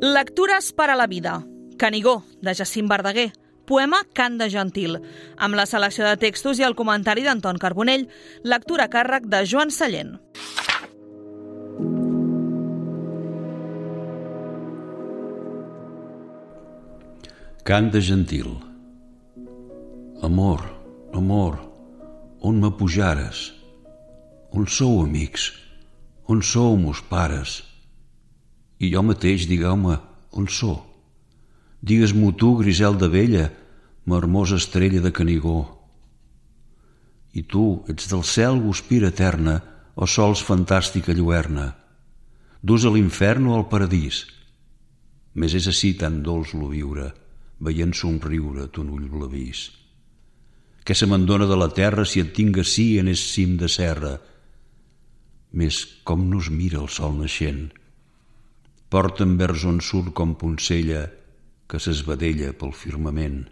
Lectures per a la vida. Canigó, de Jacint Verdaguer. Poema Cant de Gentil, amb la selecció de textos i el comentari d'Anton Carbonell. Lectura a càrrec de Joan Sallent. Cant de Gentil. Amor, amor, on m'apujares? On sou, amics? On sou, mos pares? I jo mateix, digueu-me, on sou? Digues-m'ho tu, Griselda vella, m'hermosa estrella de Canigó. I tu, ets del cel guspira eterna o sols fantàstica lluerna? Dus a l'infern o al paradís? Més és ací tan dolç lo viure, veient somriure ton ull blavís. Què se me'n dona de la terra si et tinc ací en es cim de serra? Més com nos mira el sol naixent. Porta'm vers on surt com poncella que s'esvedella pel firmament.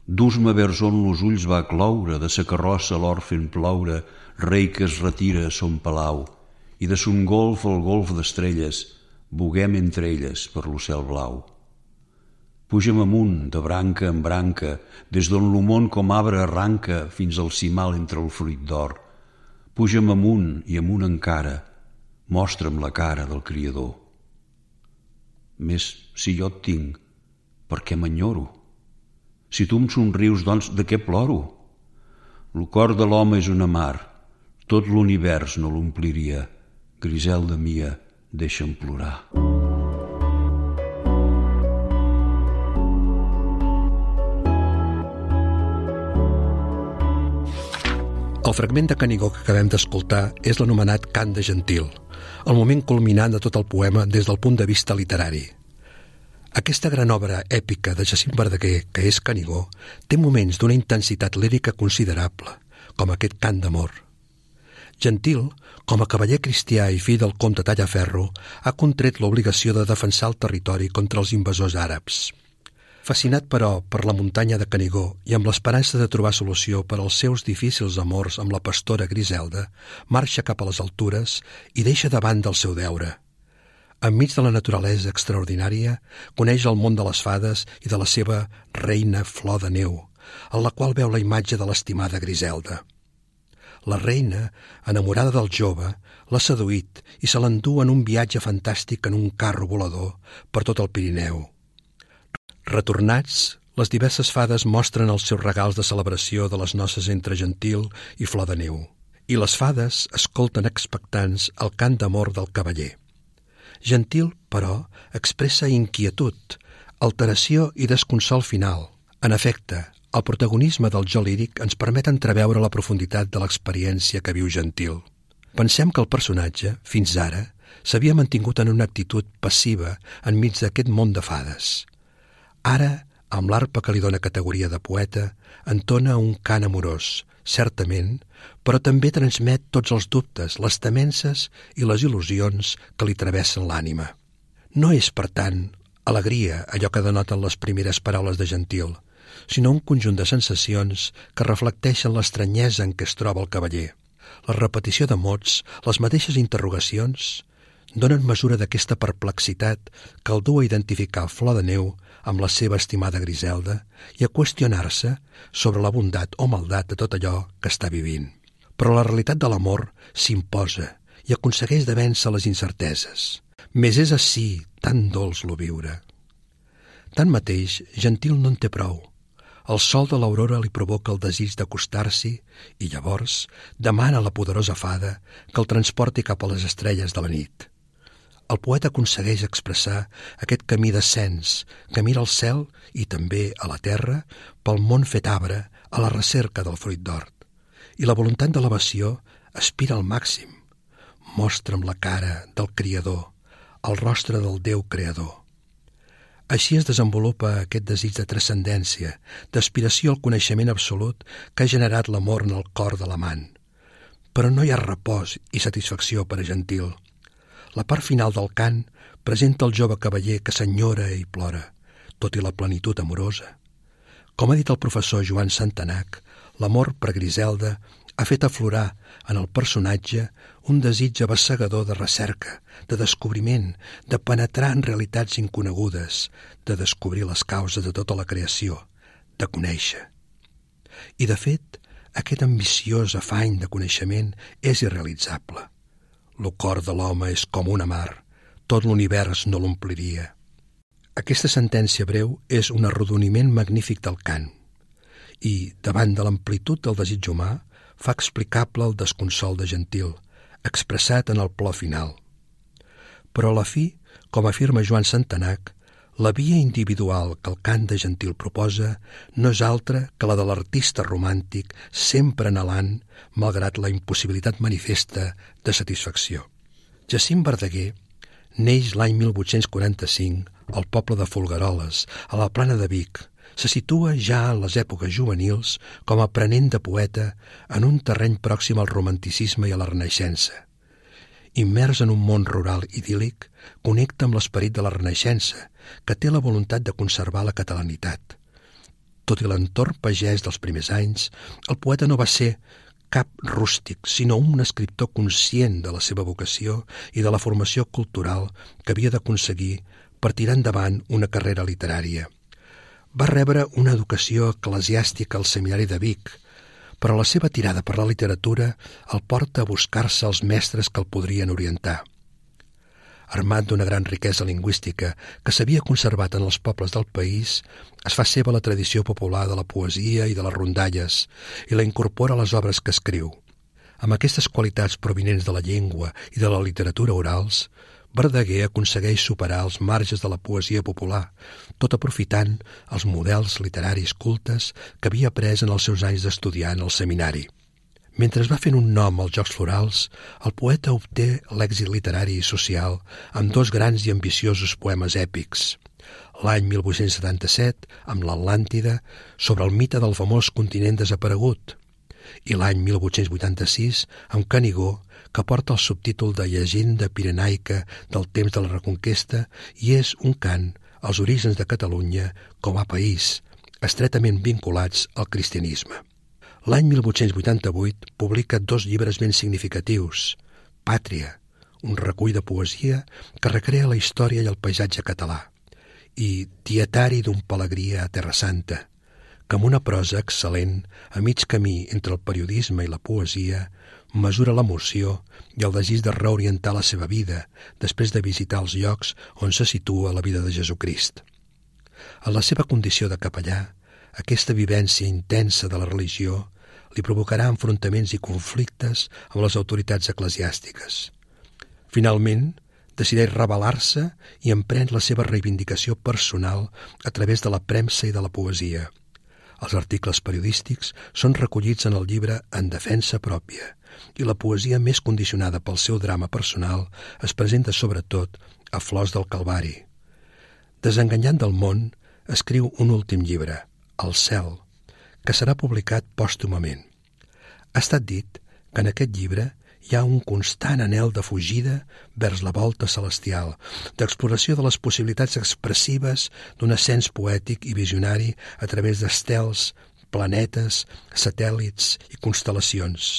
Dus-me vers on los ulls va cloure, de sa carrossa l'or fent ploure, rei que es retira a son palau, i de son golf al golf d'estrelles, buguem entre elles per lo cel blau. Puja'm amunt, de branca en branca, des d'on lo món com arbre arranca fins al cimal entre el fruit d'or. Puja'm amunt i amunt encara, mostra'm la cara del Criador. Més si jo et tinc, per què m'enyoro? Si tu em somrius, doncs, de què ploro? Lo cor de l'home és una mar, tot l'univers no l'ompliria. Griselda mia, deixa'm plorar. El fragment de Canigó que acabem d'escoltar és l'anomenat Cant de Gentil, el moment culminant de tot el poema des del punt de vista literari. Aquesta gran obra èpica de Jacint Verdaguer, que és Canigó, té moments d'una intensitat lírica considerable, com aquest cant d'amor. Gentil, com a cavaller cristià i fill del comte Tallaferro, ha contret l'obligació de defensar el territori contra els invasors àrabs. Fascinat, però, per la muntanya de Canigó i amb l'esperança de trobar solució per als seus difícils amors amb la pastora Griselda, marxa cap a les altures i deixa de banda el seu deure. Enmig de la naturalesa extraordinària, coneix el món de les fades i de la seva reina Flor de Neu, en la qual veu la imatge de l'estimada Griselda. La reina, enamorada del jove, l'ha seduït i se l'endú en un viatge fantàstic en un carro volador per tot el Pirineu. Retornats, les diverses fades mostren els seus regals de celebració de les noces entre Gentil i Flor de Neu, i les fades escolten expectants el cant d'amor del cavaller. Gentil, però, expressa inquietud, alteració i desconsol final. En efecte, el protagonisme del jo líric ens permet entreveure la profunditat de l'experiència que viu Gentil. Pensem que el personatge, fins ara, s'havia mantingut en una actitud passiva enmig d'aquest món de fades. Ara, amb l'arpa que li dóna categoria de poeta, entona un cant amorós, certament, però també transmet tots els dubtes, les temences i les il·lusions que li travessen l'ànima. No és, per tant, alegria allò que denoten les primeres paraules de Gentil, sinó un conjunt de sensacions que reflecteixen l'estranyesa en què es troba el cavaller. La repetició de mots, les mateixes interrogacions, donen mesura d'aquesta perplexitat que el du a identificar Flor de Neu amb la seva estimada Griselda i a qüestionar-se sobre la bondat o maldat de tot allò que està vivint. Però la realitat de l'amor s'imposa i aconsegueix de vèncer les incerteses. Més és ací tan dolç lo viure. Tanmateix, Gentil no en té prou. El sol de l'aurora li provoca el desig d'acostar-s'hi i llavors demana a la poderosa fada que el transporti cap a les estrelles de la nit. El poeta aconsegueix expressar aquest camí d'ascens que mira al cel i també a la terra pel món fet arbre a la recerca del fruit d'hort. I la voluntat d'elevació aspira al màxim. Mostra'm la cara del Criador, el rostre del Déu creador. Així es desenvolupa aquest desig de transcendència, d'aspiració al coneixement absolut que ha generat l'amor en el cor de l'amant. Però no hi ha repòs i satisfacció per a Gentil. La part final del cant presenta el jove cavaller que s'enyora i plora, tot i la plenitud amorosa. Com ha dit el professor Joan Santanac, l'amor per Griselda ha fet aflorar en el personatge un desig abassegador de recerca, de descobriment, de penetrar en realitats inconegudes, de descobrir les causes de tota la creació, de conèixer. I, de fet, aquest ambiciós afany de coneixement és irrealitzable. El cor de l'home és com una mar, tot l'univers no l'ompliria. Aquesta sentència breu és un arrodoniment magnífic del cant i, davant de l'amplitud del desig humà, fa explicable el desconsol de Gentil, expressat en el plor final. Però a la fi, com afirma Joan Santanac, la via individual que el cant de Gentil proposa no és altra que la de l'artista romàntic sempre anhelant, malgrat la impossibilitat manifesta de satisfacció. Jacint Verdaguer neix l'any 1845 al poble de Folgueroles, a la Plana de Vic. Se situa ja en les èpoques juvenils com a aprenent de poeta en un terreny pròxim al romanticisme i a la Renaixença. Immers en un món rural idíl·lic, connecta amb l'esperit de la Renaixença, que té la voluntat de conservar la catalanitat. Tot i l'entorn pagès dels primers anys, el poeta no va ser cap rústic, sinó un escriptor conscient de la seva vocació i de la formació cultural que havia d'aconseguir per tirar endavant una carrera literària. Va rebre una educació eclesiàstica al seminari de Vic, però la seva tirada per la literatura el porta a buscar-se els mestres que el podrien orientar. Armat d'una gran riquesa lingüística que s'havia conservat en els pobles del país, es fa seva la tradició popular de la poesia i de les rondalles i la incorpora a les obres que escriu. Amb aquestes qualitats provinents de la llengua i de la literatura orals, Verdaguer aconsegueix superar els marges de la poesia popular, tot aprofitant els models literaris cultes que havia après en els seus anys d'estudiar en el seminari. Mentre es va fent un nom als Jocs Florals, el poeta obté l'èxit literari i social amb dos grans i ambiciosos poemes èpics. L'any 1877, amb l'Atlàntida, sobre el mite del famós continent desaparegut, i l'any 1886, amb Canigó, que porta el subtítol de Llegenda pirenaica del temps de la Reconquesta i és un cant als orígens de Catalunya com a país, estretament vinculats al cristianisme. L'any 1888 publica dos llibres ben significatius: Pàtria, un recull de poesia que recrea la història i el paisatge català, i Dietari d'un pelegrí a Terra Santa, que amb una prosa excel·lent, a mig camí entre el periodisme i la poesia, mesura l'emoció i el desig de reorientar la seva vida després de visitar els llocs on se situa la vida de Jesucrist. En la seva condició de capellà, aquesta vivència intensa de la religió li provocarà enfrontaments i conflictes amb les autoritats eclesiàstiques. Finalment, decideix rebel·lar-se i emprèn la seva reivindicació personal a través de la premsa i de la poesia. Els articles periodístics són recollits en el llibre En defensa pròpia, i la poesia més condicionada pel seu drama personal es presenta sobretot a Flors del Calvari. Desenganyant del món, escriu un últim llibre, El cel, que serà publicat pòstumament. Ha estat dit que en aquest llibre hi ha un constant anhel de fugida vers la volta celestial, d'exploració de les possibilitats expressives d'un ascens poètic i visionari a través d'estels, planetes, satèl·lits i constel·lacions,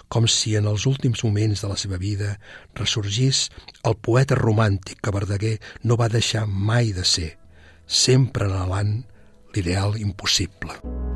com si en els últims moments de la seva vida ressorgís el poeta romàntic que Verdaguer no va deixar mai de ser, sempre anhelant l'ideal impossible.